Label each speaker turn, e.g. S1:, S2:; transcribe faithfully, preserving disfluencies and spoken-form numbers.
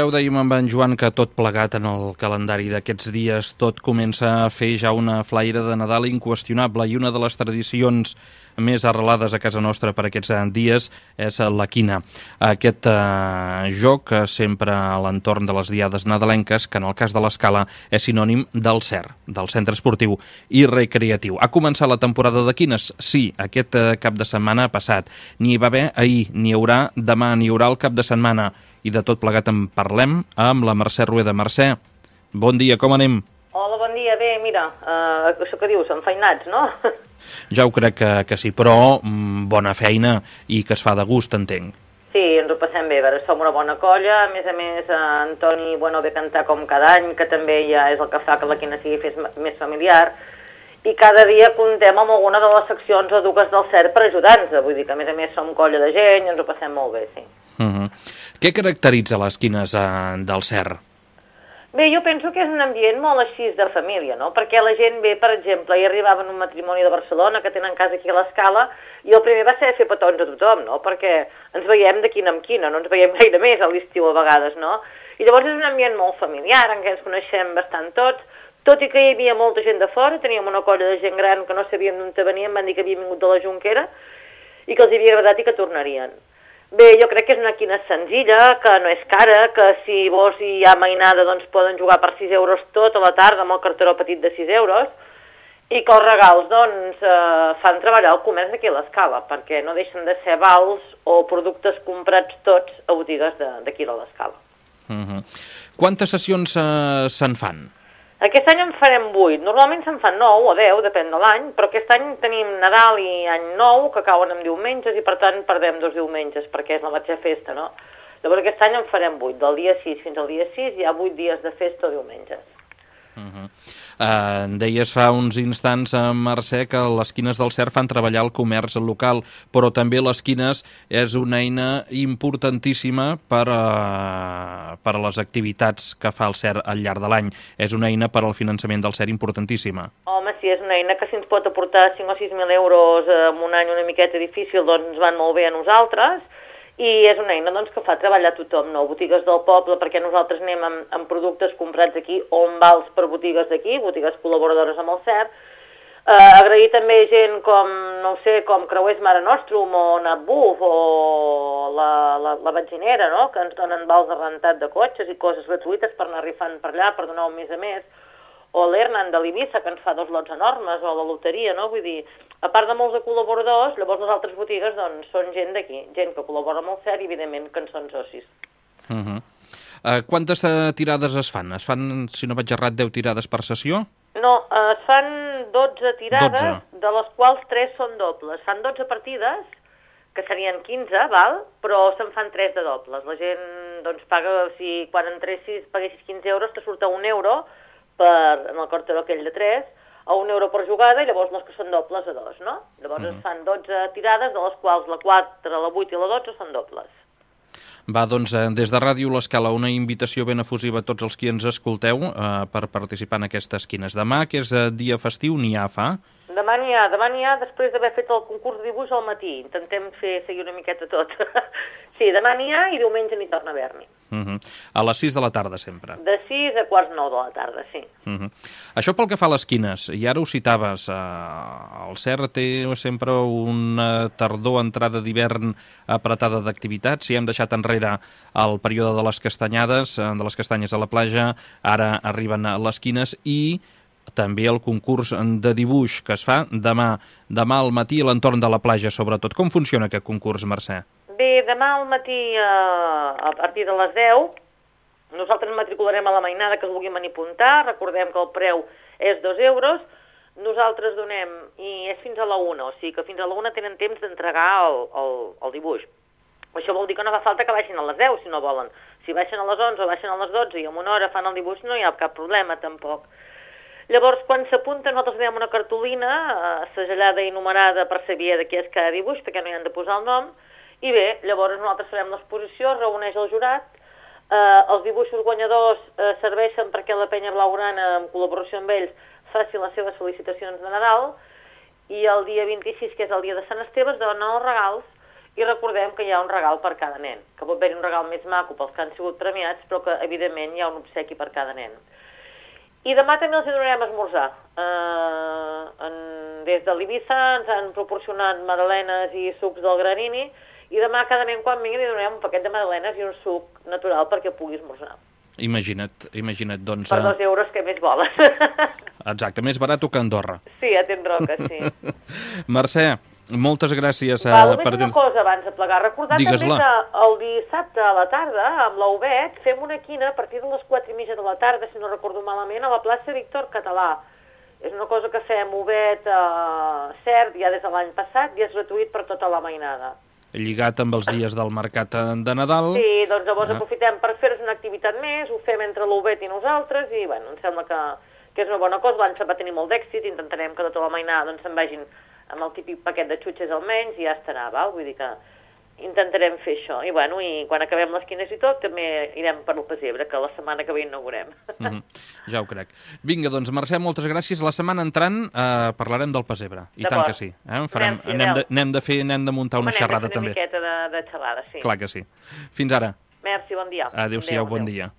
S1: Ja ho dèiem amb en Joan que tot plegat en el calendari d'aquests dies, tot comença a fer ja una flaire de Nadal inqüestionable i una de les tradicions més arrelades a casa nostra per aquests dies és la quina. Aquest eh, joc sempre a l'entorn de les diades nadalenques, que en el cas de l'Escala és sinònim del C E R, del Centre Esportiu i Recreatiu. Ha començat la temporada de quines? Sí, aquest eh, cap de setmana passat. N'hi va haver ahir, n'hi haurà demà, n'hi haurà el cap de setmana. I de tot plegat en parlem amb la Mercè Rueda. Mercè, bon dia, com anem?
S2: Hola, bon dia, bé, mira, uh, això que dius, enfeinats, no?
S1: Ja ho crec que, que sí, però mm, bona feina i que es fa de gust, entenc.
S2: Sí, ens ho passem bé, a veure, som una bona colla, a més a més, uh, Antoni, bueno, ve cantar com cada any, que també ja és el que fa que la quina sigui fes més familiar, i cada dia comptem amb alguna de les seccions o dues del C E R per ajudar-nos, vull dir que a més a més som colla de gent i ens ho passem molt bé, sí.
S1: Uh-huh. Què caracteritza les quines uh, del C E R?
S2: Bé, jo penso que és un ambient molt així de família, no? Perquè la gent ve, per exemple, hi arribava en un matrimoni de Barcelona que tenen casa aquí a l'Escala i el primer va ser fer petons a tothom, no? Perquè ens veiem de quina en quina, no ens veiem gaire més a l'estiu a vegades, no? I llavors és un ambient molt familiar en què ens coneixem bastant tots, tot i que hi havia molta gent de fora, teníem una colla de gent gran que no sabíem d'on venien, van dir que havien vingut de la Jonquera i que els havia agradat i que tornarien. Bé, jo crec que és una quina senzilla, que no és cara, que si vols i hi ha mainada doncs poden jugar per sis euros tot a la tarda amb el carteró petit de sis euros i que els regals doncs eh, fan treballar el comerç aquí a l'Escala perquè no deixen de ser vals o productes comprats tots a botigues d'aquí de, de l'Escala.
S1: Uh-huh. Quantes sessions eh, se'n fan?
S2: Aquest any en farem vuit, normalment se'n fan nou o deu, depèn de l'any, però aquest any tenim Nadal i Any Nou, que cauen en diumenges, i per tant perdem dos diumenges, perquè és la mateixa festa, no? Llavors aquest any en farem vuit, del dia sis fins al dia sis, hi ha vuit dies de festa o diumenges.
S1: Uh-huh. Uh, deies fa uns instants, uh, Mercè, que les quines del C E R fan treballar el comerç local, però també les quines és una eina importantíssima per a, per a les activitats que fa el C E R al llarg de l'any. És una eina per al finançament del C E R importantíssima.
S2: Home, sí, és una eina que si ens pot aportar cinc o sis mil euros en un any una miqueta difícil, doncs ens van molt bé a nosaltres, i és una eina doncs, que fa treballar tothom, no? Botigues del poble, perquè nosaltres anem amb, amb productes comprats aquí o amb vals per botigues d'aquí, botigues col·laboradores amb el C E R. Eh, agrair també gent com, no sé, com Creuers Mare Nostrum o Natbuf o la, la, la Batxinera, no? Que ens donen vals de rentat de cotxes i coses gratuïtes per anar rifant per allà, per donar un mes a més. O l'Hernan de l'Ibissa, que ens fa dos lots enormes, o la loteria, no? Vull dir, a part de molts de col·laboradors, llavors les altres botigues doncs, són gent d'aquí, gent que col·labora amb el C E R i, evidentment, que en són socis.
S1: Uh-huh. uh, quantes uh, tirades es fan? Es fan, si no vaig errat, deu tirades per sessió?
S2: No, uh, es fan dotze tirades,
S1: dotze.
S2: De les quals tres són dobles. Fan dotze partides, que serien quinze, val? Però se'n fan tres de dobles. La gent doncs, paga, si quan entressis paguessis quinze euros, te surt a un euro, per, en el carteró aquell de tres, a un euro per jugada, i llavors les que són dobles a dos, no? Llavors mm. es fan dotze tirades, de les quals la quatre, la vuit i la dotze són dobles.
S1: Va, doncs, des de Ràdio L'Escala, una invitació ben efusiva a tots els qui ens escolteu eh, per participar en aquestes quines. Demà, que és dia festiu, n'hi ha, fa?
S2: Demà n'hi ha, demà n'hi ha després d'haver fet el concurs de dibuix al matí. Intentem fer seguir una miqueta tot. Sí, demà n'hi ha i diumenge n'hi torna a haver-n'hi.
S1: Uh-huh. A les sis de la tarda, sempre.
S2: De sis a quarts nou de la tarda, sí.
S1: Uh-huh. Això pel que fa a les quines, i ara ho citaves, eh, el C E R té sempre una tardor, entrada d'hivern apretada d'activitats. Si hem deixat enrere el període de les castanyades, de les castanyes a la platja, ara arriben les quines i també el concurs de dibuix que es fa demà, demà al matí a l'entorn de la platja, sobretot. Com funciona aquest concurs, Mercè?
S2: Bé, demà al matí, eh, a partir de les deu, nosaltres matricularem a la mainada que es vulgui venir a apuntar. Recordem que el preu és dos euros. Nosaltres donem, i és fins a la una, o sigui que fins a la una tenen temps d'entregar el, el, el dibuix. Això vol dir que no fa falta que baixin a les deu, si no volen. Si baixen a les onze o baixen a les dotze i en una hora fan el dibuix, no hi ha cap problema, tampoc. Llavors, quan s'apunten, nosaltres donem una cartolina eh, segellada i numerada per saber de què és cada dibuix, perquè no hi han de posar el nom, i bé, llavors nosaltres farem l'exposició, es reuneix el jurat, eh, els dibuixos guanyadors eh, serveixen perquè la penya blaugrana, en col·laboració amb ells, faci les seves felicitacions de Nadal, i el dia vint-i-sis, que és el dia de Sant Esteve, es donen els regals, i recordem que hi ha un regal per cada nen, que pot haver un regal més maco pels que han sigut premiats, però que evidentment hi ha un obsequi per cada nen. I demà també els donarem a esmorzar. Uh, en, des de l'Ibiza ens han proporcionat magdalenes i sucs del Granini, i demà cada nen quan vingui li donarem un paquet de magdalenes i un suc natural perquè pugui esmorzar.
S1: Imagina't, imagina't, doncs...
S2: Per dos euros, què més voles?
S1: Exacte, més barat que Andorra.
S2: Sí, a Tenroca, sí.
S1: Mercè, moltes gràcies.
S2: Va,
S1: uh,
S2: només
S1: per...
S2: una cosa abans de plegar. Recordar també que el dissabte a la tarda, amb l'Ovet, fem una quina a partir de les quatre i mitja de la tarda, si no recordo malament, a la plaça Víctor Català. És una cosa que fem Ovet uh, cert ja des de l'any passat i és gratuït per tota la mainada.
S1: Lligat amb els dies del mercat de Nadal.
S2: Sí, doncs llavors ah. aprofitem per fer-nos una activitat més, ho fem entre l'Ovet i nosaltres, i bueno, em sembla que, que és una bona cosa. L'any va tenir molt d'èxit, intentarem que tota la mainada doncs, se'n vagin amb el típic paquet de xutxes almenys i ja estarà, val? Vull dir que intentarem fer això. I bueno, i quan acabem les quines i tot, també irem per el pessebre, que la setmana que ve inaugurem.
S1: Mm-hmm. Ja ho crec. Vinga, doncs, Mercè, moltes gràcies. La setmana entrant eh, parlarem del pessebre. I tant que sí. Eh? Farem,
S2: sí,
S1: anem, de, anem, de fer, anem de muntar una
S2: Home,
S1: xerrada
S2: una
S1: també.
S2: Una miqueta de, de xerrada, sí.
S1: Clar que sí. Fins ara.
S2: Merci, bon dia.
S1: Adéu-siau, bon dia.